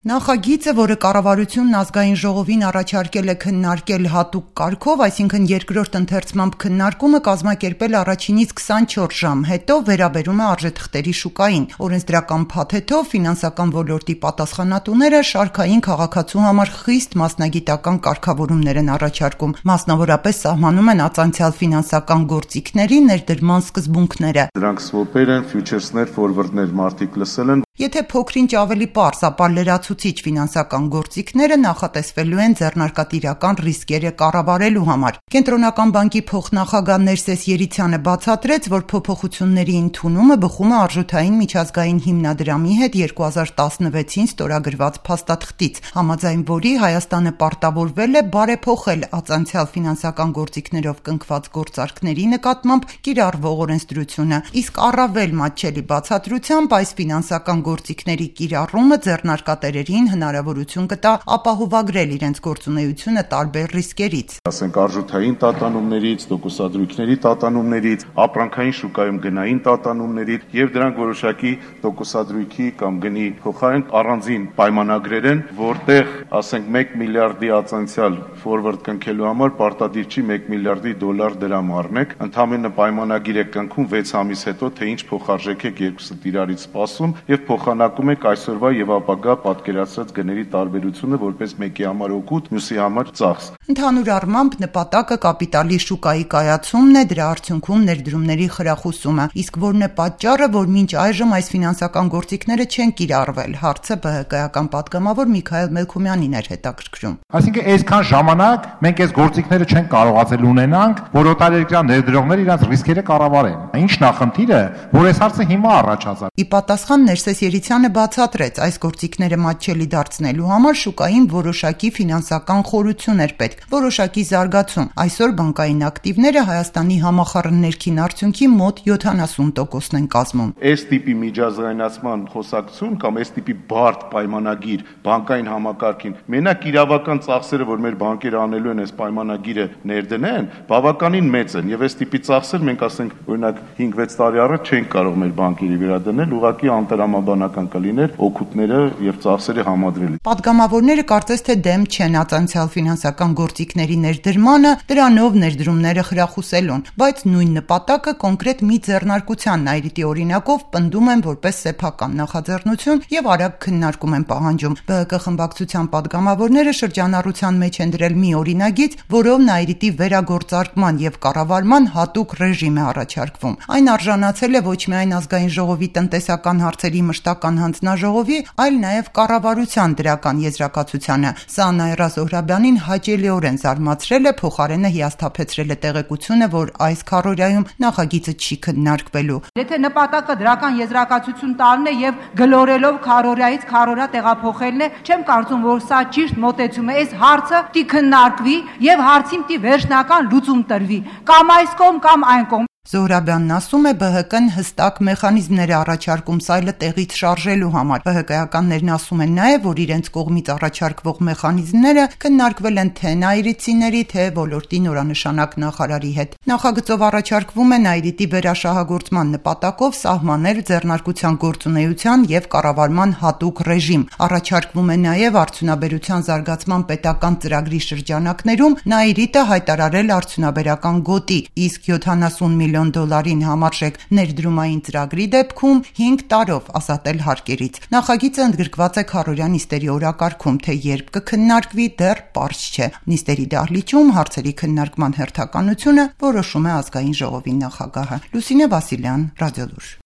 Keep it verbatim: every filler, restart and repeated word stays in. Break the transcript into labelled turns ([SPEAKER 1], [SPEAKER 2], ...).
[SPEAKER 1] Նախագիծը, որը կառավարությունն ազգային ժողովին առաջարկել է քննարկել հատուկ կարգով, այսինքն երկրորդ ընթերցմամբ քննարկումը կազմակերպել առաջինից քսանչորս ժամ, հետո վերաբերում է արժեթղթերի շուկային։ Օրենսդրական փաթեթով ֆինանսական ոլորտի պատասխանատուները շարքային քաղաքացու համար խիստ մասնագիտական կարգավորումներ են առաջարկում, մասնավորապես սահմանում են ածանցյալ ֆինանսական գործիքների ներդրման սկզբունքները։
[SPEAKER 2] Դրանք swap-եր են, futuresներ, forward-ներ մարդիկ լսել են։
[SPEAKER 1] Եթե փոքրինչ ավելի պարզ, ապա լրացուցիչ ֆինանսական գործիքները նախատեսվելու են ձեռնարկատիրական ռիսկերը կառավարելու համար։ Կենտրոնական բանկի փոխնախագահ Ներսես Երիցյանը բացատրեց, որ փոփոխությունների ընդունումը բխում է արժութային միջազգային հիմնադրամի հետ երկու հազար տասնվեցին ստորագրված փաստաթղթից, համաձայն որի Հայաստանը պարտավորվել է բարեփոխել ածանցյալ ֆինանսական գործիքներով կնքված գործարքների նկատմամբ կիրառվող օրենսդրությունը, իսկ առավել մատչելի բացատրությամբ այս ֆինանսական գործիքների կիրառումը ձեռնարկատերերին հնարավորություն կտա ապահովագրել իրենց գործունեությունը տարբեր ռիսկերից։
[SPEAKER 2] Ասենք արժութային տատանումներից, տոկոսադրույքների տատանումներից, ապրանքային շուկայում գնային տատանումներից եւ դրանք որոշակի տոկոսադրույքի կամ գնի փոխարեն առանձին պայմանագրեր են, որտեղ ասենք մեկ միլիարդի ածանցյալ forward կնքելու համար պարտադիր չի մեկ միլիարդի դոլար դրամ առնեք, ընդհանրապես պայմանագիր եք կնքում վեց ամիս հետո, թե ինչ փոխարժեք եք երկուսը իրարից սպասում եւ փոխանակում եք այսօրվա եւ ապագա պատկերացրած գների տարբերությունը որպես մեկի համար օգուտ, մյուսի համար ծախս։
[SPEAKER 1] Ընդհանուր առմամբ նպատակը կապիտալի շուկայի կայացումն է, դրա արդյունքում ներդրումների խրախուսումը, իսկ որն է պատճառը, որ մինչ այժմ այս ֆինանսական գործիքները չեն կիրառվել, հարցը ԲՀԿ-ական պատգամավոր Միքայել Մելքումյանին էր հետաքրքրում։
[SPEAKER 3] Այսինքն այսքան ժամանակ մենք այս գործիքները չենք կարողացել ունենանք, որ օտարերկրյա ներդրողները իրենց ռիսկերը կառավարեն։ Ինչ նախնդիրը, որ այս հարցը հիմա առաջացավ։
[SPEAKER 1] Ի պատասխան Ներսես Երիցյանը բացատրեց, այս գործիքները մատչելի դարձնելու համար շուկային որոշակի ֆինանսական խորություն էր պետք, որոշակի զարգացում։ Այսօր բանկային ակտիվները Հայաստանի համախառն ներքին արդյունքի մոտ յոթանասուն տոկոսն են կազմում։
[SPEAKER 2] Այս տիպի միջազգայնացման խոսակցություն կամ այս տիպի բարդ պայմանագիր բանկային համակարգին մենակ իրավական ծախսերը, որ մեր բանկերը անելու են այս պայմանագիրը ներդնեն, բավականին մեծ են եւ այս տիպի ծախսեր մենք ասենք օրինակ հինգ-վեց տարի առաջ չենք կարող մեր բանկերի վերադնել, ուղղակի անտրամաբանական կլիներ օգուտները եւ ծախսերը համադրել։
[SPEAKER 1] Պատգամավորները կարծես թե դեմ չեն ածանցյալ ֆինանսական գործիքների ներդրմանը, դրանով ներդրումները խրախուսելուն, բայց նույն նպատակը կոնկրետ մի ձեռնարկության Նայրիտի օրինակով պնդում են որպես սեփական նախաձեռնություն եւ արագ քննարկում են պահանջում։ ԲՀԿ խմբակցության պատգամավորները շրջանառության մեջ են դրել մի օրինագիծ, որով Նայրիտի վերագործարկման եւ կառավարման հատուկ ռեժիմ է առաջարկվում։ Այն արժանացել է ոչ միայն ազգային ժողովի տնտեսական հարցերի մշտական հանձնաժողովի, այլ նաեւ կառավարության դրական եզրակացությանը։ Սա Նաիրա Զոհրաբյանին հաճելիորեն զարմացրել է, փոխարենը հիասթափեցրել է տեղեկությունը, որ այս քառօրյայում նախագիծը չի քննարկվելու։
[SPEAKER 4] Եթե նպատակը դրական եզրակացություն տալն է եւ գլորելով քառօրյայից քառօրյա տեղափոխելն է, չեմ կարծում, որ սա ճիշտ մոտեցում է։ Այս հարցը պիտի քննարկվի եւ հարցին պիտի վերջնական լուծում տրվի, կամ այս կողմ, կամ այն կողմ։
[SPEAKER 1] Զոհրաբյանն ասում է, ԲՀԿ-ն հստակ մեխանիզմներ է առաջարկում սայլը տեղից շարժելու համար։ ԲՀԿ-ականներն ասում են նաև, որ իրենց կողմից առաջարկվող մեխանիզմները քննարկվել են թե նայրիցիների, թե ոլորտի նորանշանակ նախարարի հետ։ Նախագծով առաջարկվում է Նայրիտի վերաշահագործման նպատակով սահմանել ձեռնարկության գործունեության եւ կառավարման հատուկ ռեժիմ։ Առաջարկվում է նաև արդյունաբերության զարգացման պետական ծրագրի շրջանակներում Նայրիտը հայտարարել արդյունաբերական գոտի, իսկ յոթանասուն միլիոն դոլարին համարժեք ներդրումային ծրագրի դեպքում հինգ տարով ազատել հարկերից։ Նախագիծը ընդգրկված է քառօրյա նիստերի օրակարգում, թե երբ կքննարկվի դեռ պարզ չէ։ Նիստերի դահլիճում հարցերի քննարկման հերթականությունը որոշում է ազգային ժողովի նախագահը։ Լուսինե Վասիլյան, Ռադիոլուր։